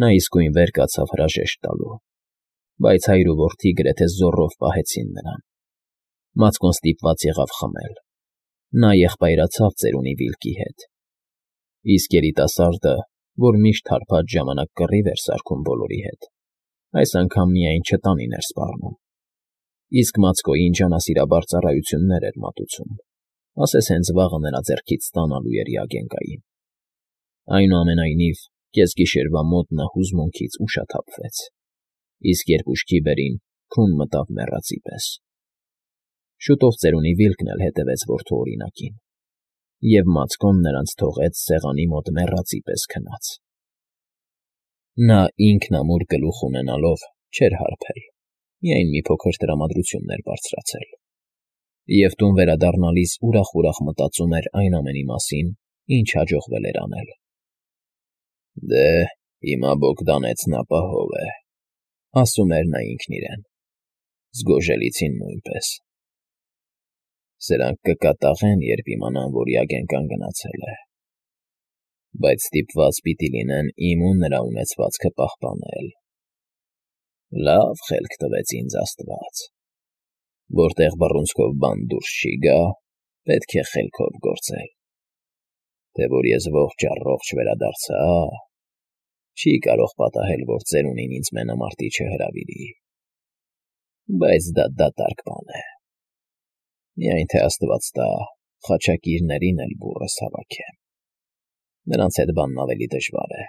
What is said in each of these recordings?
Նա իսկույն վեր կացավ հրաժեշտ տալու, բայց հայր ու որդի գրեթե զոռով պահեցին նրան։ Մաձկոն ստիպված եղավ խմել։ Նա եղբայրացավ ծերունի Վիլկի հետ, իսկ երիտասարդը, որ միշտ հարբած ժամանակ կռիվ էր սարքում բոլորի հետ, այս անգամ միայն չտանին էր սպառնում, իսկ Մաձկոյին ջանասիրաբար ծառայություններ էր մատուցում, ասես հենց վաղը նրա ձեռքից ստանալու էր Յագենկային։ Այնուամենայնիվ, կեսգիշերվա մոտ նա հուզմունքից ուշաթափվեց, իսկ երբ ուշքի բերին, քուն մտավ մեռածի պես։ Շուտով ծերունի Վիլկն էլ հետևեց որդու օրինակին, և Մաձկոն նրանց թողեց սեղանի մոտ մեռածի պես քնած։ Նա ինքն ամուր գլուխ ունենալով չէր հարբել, միայն մի փոքր տրամադրություն էր բարձրացել, և տուն վերադառնալիս ուրախ մտածում էր այն ամենի մասին, ինչ հաջողվել էր անել։ «Դե, հիմա Բոգդանեցն ապահով է», ասում էր նա ինքն իրեն, «Զգոժելիցին նույնպես։ Սրանք կկատաղեն, երբ իմանան, որ Յագենկան գնացել է, բայց ստիպված պիտի լինեն իմ ու նրա ունեցվածքը պահպանել։ Լավ խելք տվեց ինձ Աստված. որտեղ բռունցքով բան դուրս չի գա, պետք է խելքով գործել, թե որ ես ողջ վերադարձա, չի կարող պատահել, որ ծերունին ինձ մենամարտի չհրավիրի, բայց դա դատարկ բան է։ Միայն թե Աստված տա, խաչակիրներին էլ բուռս հավաքեմ, նրանց հետ բանն ավելի դժվար է։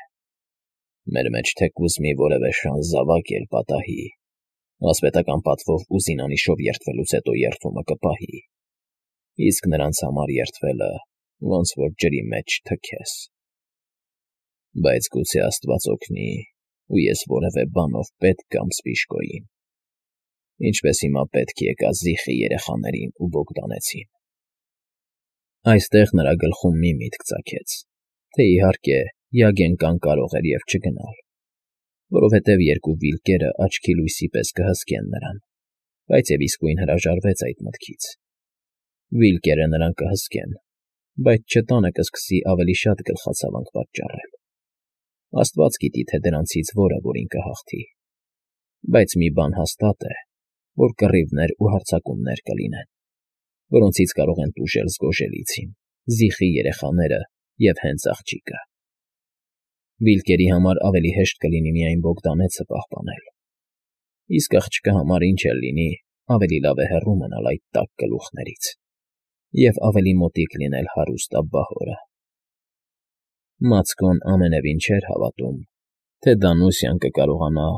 Մեր մեջ թեկուզ մի որևէ շան զավակ էլ պատահի, ասպետական պատվով ու զինանիշով երդվելուց հետո երդումը կպահի, իսկ նրանց համար երդվելը ոնց որ ջրի մեջ թքես։ Բայց գուցե Աստված օգնի, ու ես որևէ բանով պետք կամ սպիշկոյին, ինչպես հիմա պետք եկա Զիխի երեխաներին ու Բոգդանեցին»։ Այստեղ նրա գլխում մի միտք ծագեց, թե իհարկե Յագենկան կարող էր և չգնալ, որովհետև երկու Վիլկերը աչքի լույսի պես կհսկեն նրան, բայց և իսկույն հրաժարվեց այդ մտքից։ Վիլկերը նրան կհսկեն, բայց չտանը կսկսի ավելի շատ գլխացավանք պատճառել։ Աստված գիտի, թե դրանցից որը որին կհաղթի, բայց մի բան հաստատ է, որ կռիվներ ու հարձակումներ կլինեն, որոնցից կարող են տուժել Զգոժելիցին, Զիխի երեխաները և հենց աղջիկը։ Վիլկերի համար ավելի հեշտ կլինի միայն Բոգդանեցը պահպանել, իսկ աղջկա համար ինչ էլ լինի, ավելի լավ է հեռու մնալ այդ տաք գլուխներից և ավելի մոտիկ լինել հարուստ աբբահորը։ Մաձկոն ամենևին չէր հավատում, թե Դանուսյան կկարողանա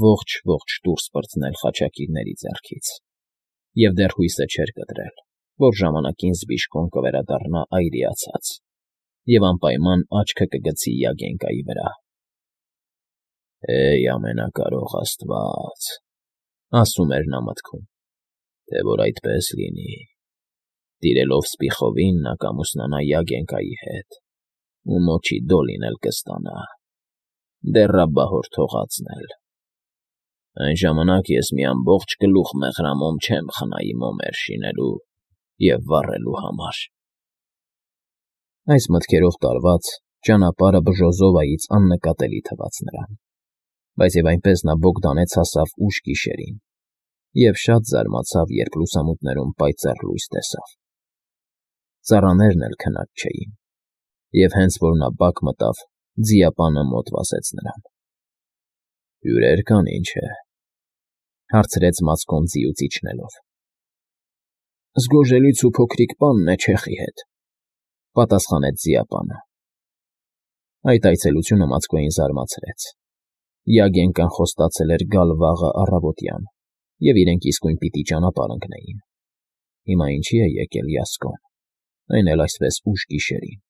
ողջ դուրս պրծնել խաչակիրների ձեռքից, և դեռ հույսը չէր կտրել, որ ժամանակին զբիշկոն կվերադառնա այրիացած և անպայման աչքը կգցի Յագենկայի վրա։ «Հեյ, ամենակարող Աստված», ասում էր նա մտքում, «թե որ այդպես լինի, տիրելով Սպիխովին նա կամուսնանա Յագենկայի հետ, ու մոչի Դոլին էլ կստանա, դեռ աբբահոր թողածն էլ։ Այն ժամանակ ես մի ամբողջ գլուխ մեղրամոմ չեմ խնայի մոմեր շինելու և վառելու համար»։ Այս մտքերով տարված, ճանապարհը Բժոզովայից աննկատելի թվաց նրան, բայց և այնպես նա Բոգդանեց հասավ ուշ գիշերին և շատ զարմացավ, երբ լուսամուտներում պայծառ լույս տեսավ։ Ծառաներն էլ քնած չէին, և հենց որ նա բակ մտավ, ձիապանը մոտ վազեց նրան։ «Հյուրեր կան, ինչ է», հարցրեց Մաձկոն ձիուց իջնելով։ «Զգոժելիցու փոքրիկ պանն է չեխի հետ», պատասխանեց ձիապանը։ Այդ այցելությունը Մաձկոյին զարմացրեց։ Յագենկան խոստացել էր գալ վաղը առավոտյան, և իրենք իսկույն պիտի ճանապարհ ընկնեին։ Հիմա ինչի է եկել Յասկոն, այն էլ այսպես ուշ գիշերին։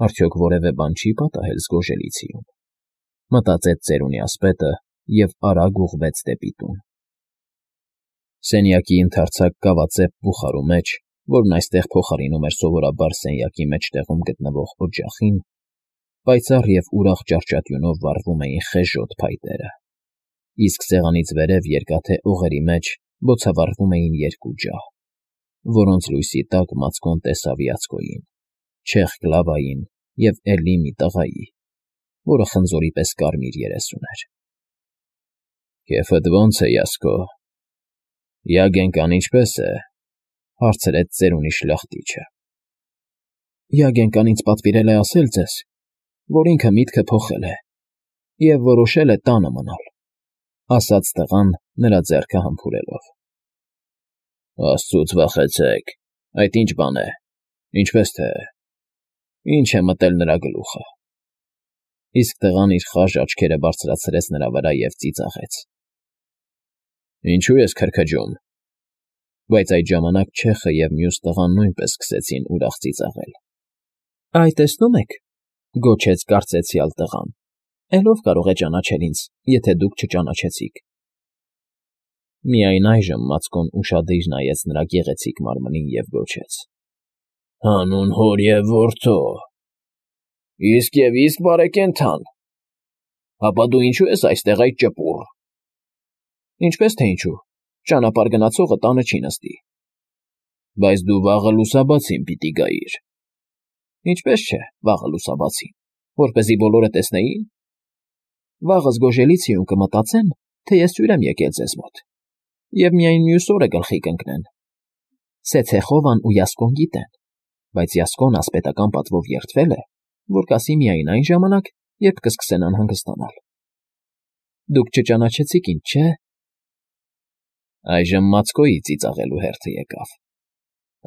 Արդյոք որևէ բան չի պատահել Զգոժելիցիում, մտածեց ծերունի ասպետը և արագ ուղղվեց դեպի տուն։ Սենյակի ընդարձակ կավածեպ բուխարու մեջ, որն այստեղ փոխարինում էր սովորաբար սենյակի մեջտեղում գտնվող օջախին, պայծառ և ուրախ ճահճատյունով վառվում էին խեժոտ փայտերը, իսկ սեղանից վերև երկաթե օղերի մեջ բոցավառվում էին երկու ջահ, որոնց լույսի տակ Մաձկոն տեսավ Յացկոյին, չեխ Կլավային և էլի մի տղայի, որը խնձորի պես կարմիր երես ուներ։ «Քեֆդ ո՞նց է, Յասկո, Յագենկան ինչպե՞ս է», հարցրեց ծերունի շլախտիչը։ «Յագենկան ինձ պատվիրել է ասել ձեզ, որ ինքը միտքը փոխել է և որոշել է տանը մնալ», ասաց տղան, նրա ձեռքը համբուրելով։ «Աստծուց վախեցեք, այդ ինչ բան է, ինչպես թե, ինչ է մտել նրա գլուխը»։ Իսկ տղան իր խաժ աչքերը բարձրացրեց նրա վրա և ծիծաղեց։ «Ինչու ես քրքջում»։ Բայց այդ ժամանակ չեխը և մյուս տղան նույնպես սկսեցին ուրախ ծիծաղել։ «Այ տեսնում եք,» գոչեց կարծեցյալ տղան, «էլ ով կարող է ճանաչել ինձ, եթե դուք չճանաչեցիք»։ Միայն այժմ Մացկոն ուշադիր նայեց նրա գեղեցիկ մարմնին և գոչեց. «Հանուն հոր և որդու, իսկ բարեկենդան, ապա դու ինչու ես այստեղ այդ ճպուռ»։ «Ինչպես թե ինչու, ճանապարհ գնացողը տանը չի նստի»։ «Բայց դու վաղը լուսաբացին պիտի գայիր»։ «Ինչպես չէ, վաղը լուսաբացին, որպեսզի բոլորը տեսնեին։ Վաղը Զգոժելիցիում կմտածեն, թե ես հյուր եմ եկել ձեզ մոտ, և միայն մյուս օրը գլխի կընկնեն։ Սեցեխովան ու Յասկոն գիտեն, բայց Յասկոն ասպետական պատվով երդվել է, որ կասի միայն այն ժամանակ, երբ կսկսեն անհանգստանալ։ Դուք չճանաչեցիք ինձ, չէ՞։ Այժմ Մացկոյի ծիծաղելու հերթը եկավ։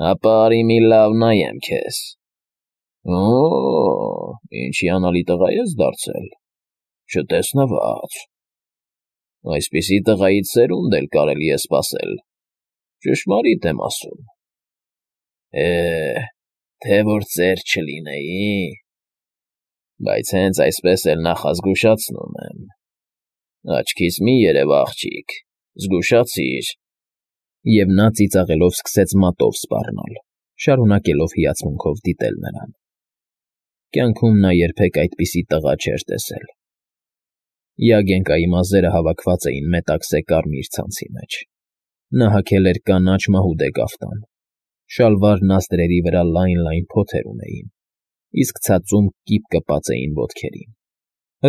«Ապա արի մի լավ նայեմ քեզ։ Օ՜, ինչ հիանալի տղա ես դարձել, չտեսնված։ Այսպիսի տղայից սերունդ էլ կարելի է սպասել, ճշմարիտ եմ ասում։ Թե որ ծեր չլինեի, բայց հենց այսպես էլ նախազգուշացնում եմ։ Աչքիս մի երև, աղջիկ, զգուշացիր»։ Եվ նա ծիծաղելով սկսեց մատով սպառնալ, շարունակելով հիացմունքով դիտել նրան։ Կյանքում նա երբեք այդպիսի տղա չէր տեսել։ Յագենկայի մազերը հավաքված էին մետաքսե կարմիր ցանցի մեջ։ Նա հագել էր կանաչ մահուդե կաֆտան, շալվար նազդրերի վրա լայն փոթեր ունեին, իսկ ցածում կիպ կպած էին ոտքերին,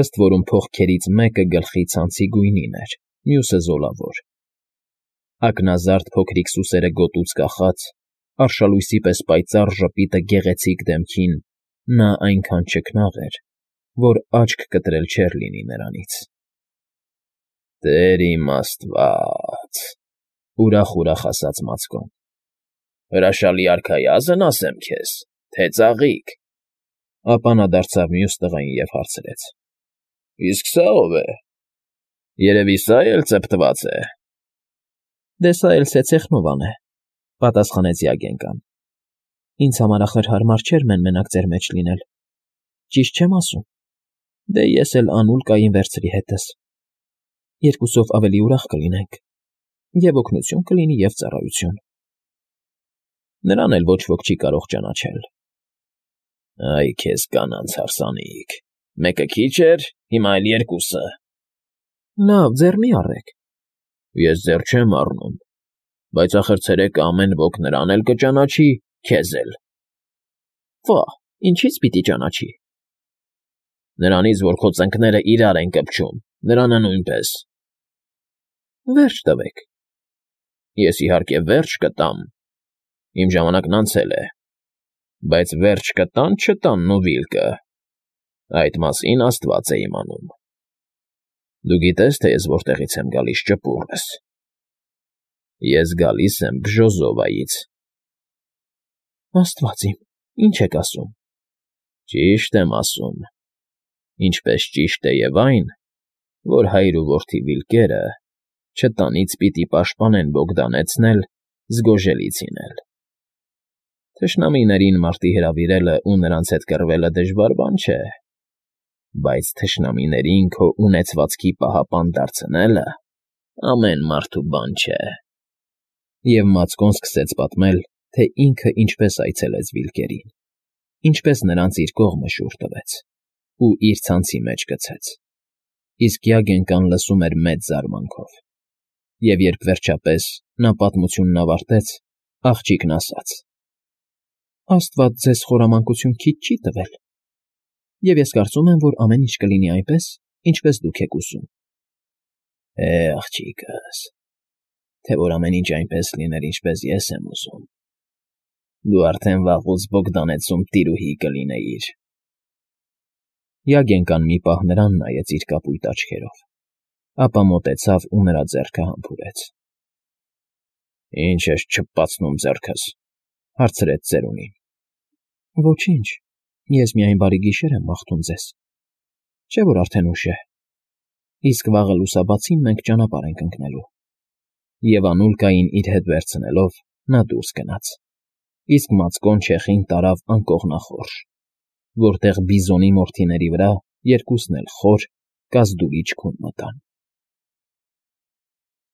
ըստ որում փողքերից մեկը գլխի ցանցի գույնին էր, մյուսը զոլավոր։ Ակնազարդ փոքրիկ սուսերը գոտուց կախած, արշալույսի պես պայծառ ժպիտը գեղեցիկ դեմքին, նա այնքան չքնաղ էր, որ աչք կտրել չէր լինի նրանից։ «Տեր իմ Աստված», ուրախ ասաց Մացկոն։ «Հրաշալի արքայազն ասեմ քեզ, թե ծաղիկ»։ Ապա նա դարձավ մյուս տղային և հարցրեց. «Իսկ սա ով է։ Երևի սա էլ ծեփտված է»։ «Դե սա էլ Սեցեխնովան է», պատասխանեց Յագենկան։ «Ինձ համար ախր հարմար չէր մեն֊մենակ ձեր մեջ լինել։ Ճիշտ չեմ ասում։ Դե ես էլ Անուլ կային վերցրի հետս։ Երկուսով ավելի ուրախ կլինենք, և օգնություն կլինի, և ծառայություն։ Նրան էլ ոչ ոք չի կարող ճանաչել»։ «Այ քեզ կանանց հարսանիք, մեկը քիչ էր, հիմա էլ երկուսը»։ «Լավ, ձեռ մի առեք»։ «Ես ձեռ չեմ առնում, բայց ախր ցերեկը ամեն ոք նրան էլ կճանաչի, քեզ էլ»։ «Վա՜, ինչի՞ց պիտի ճանաչի»։ «Նրանից, որ քո ծնկները իրար են կպչում, նրանը նույնպես»։ «Վերջ տվեք»։ «Ես իհարկե վերջ կտամ, իմ ժամանակն անցել է, բայց վերջ կտան֊չտան Նուվիլկը, այդ մասին Աստված է իմանում։ Դու գիտես, թե ես որտեղից եմ գալիս, ճպուռս։ Ես գալիս եմ Բժոզովայից»։ «Աստված իմ, ի՞նչ եք ասում»։ «Ճիշտ եմ ասում, ինչպես ճիշտ է և այն, որ հայր ու որդի Վիլկերը չտանից պիտի պաշտպանեն Բոգդանեցն էլ, Զգոժելիցին էլ։ Թշնամիներին մարտի հրավիրելը ու նրանց հետ կռվելը դժվար բան չէ, բայց թշնամիներին քո ունեցվածքի պահապան դարձնելը ամեն մարդու բան չէ»։ Եվ Մացկոն սկսեց պատմել, թե ինքը ինչպես այցելեց Վիլկերին, ինչպես նրանց իր կողմը շուռ տվեց ու իր ցանցի մեջ գցեց։ Իսկ Յագենկան լսում էր մեծ զարմանքով։ Եվ երբ վերջապես նա պատմությունն ավարտեց, աղջիկն ասաց. «Աստված ձեզ խորամանկություն քիչ չի տվել։ Եվ ես կարծում եմ, որ ամեն ինչ կլինի այնպես, ինչպես դուք եք ուզում։ Աղջիկս, թե որ ամեն ինչ այնպես լիներ, ինչպես ես եմ ուզում, դու արդեն վաղուց Բոգդանեցում տիրուհի կլինեիր։ Յագենկան մի պահ նրան նայեց իր կապույտ աչքերով, ապա մոտեցավ ու նրա ձեռքը համբուրեց։ Ինչ ես չփպացնում ձեռքս,֊ հարցրեց ծերունին։ Ոչինչ, ես միայն բարի գիշեր եմ մաղթում ձեզ, չէ՞ որ արդեն ուշ է, իսկ վաղը լուսաբացին մենք ճանապարհ ենք ընկնելու։ Եվ Անուլկային իր հետ վերցնելով՝ նա դուրս գնաց, իսկ մածկոն չեխին տարավ անկողնախորշ, որտեղ Բիզոնի մորթիների վրա երկուսն էլ խոր, կազդուրիչ քուն մտան։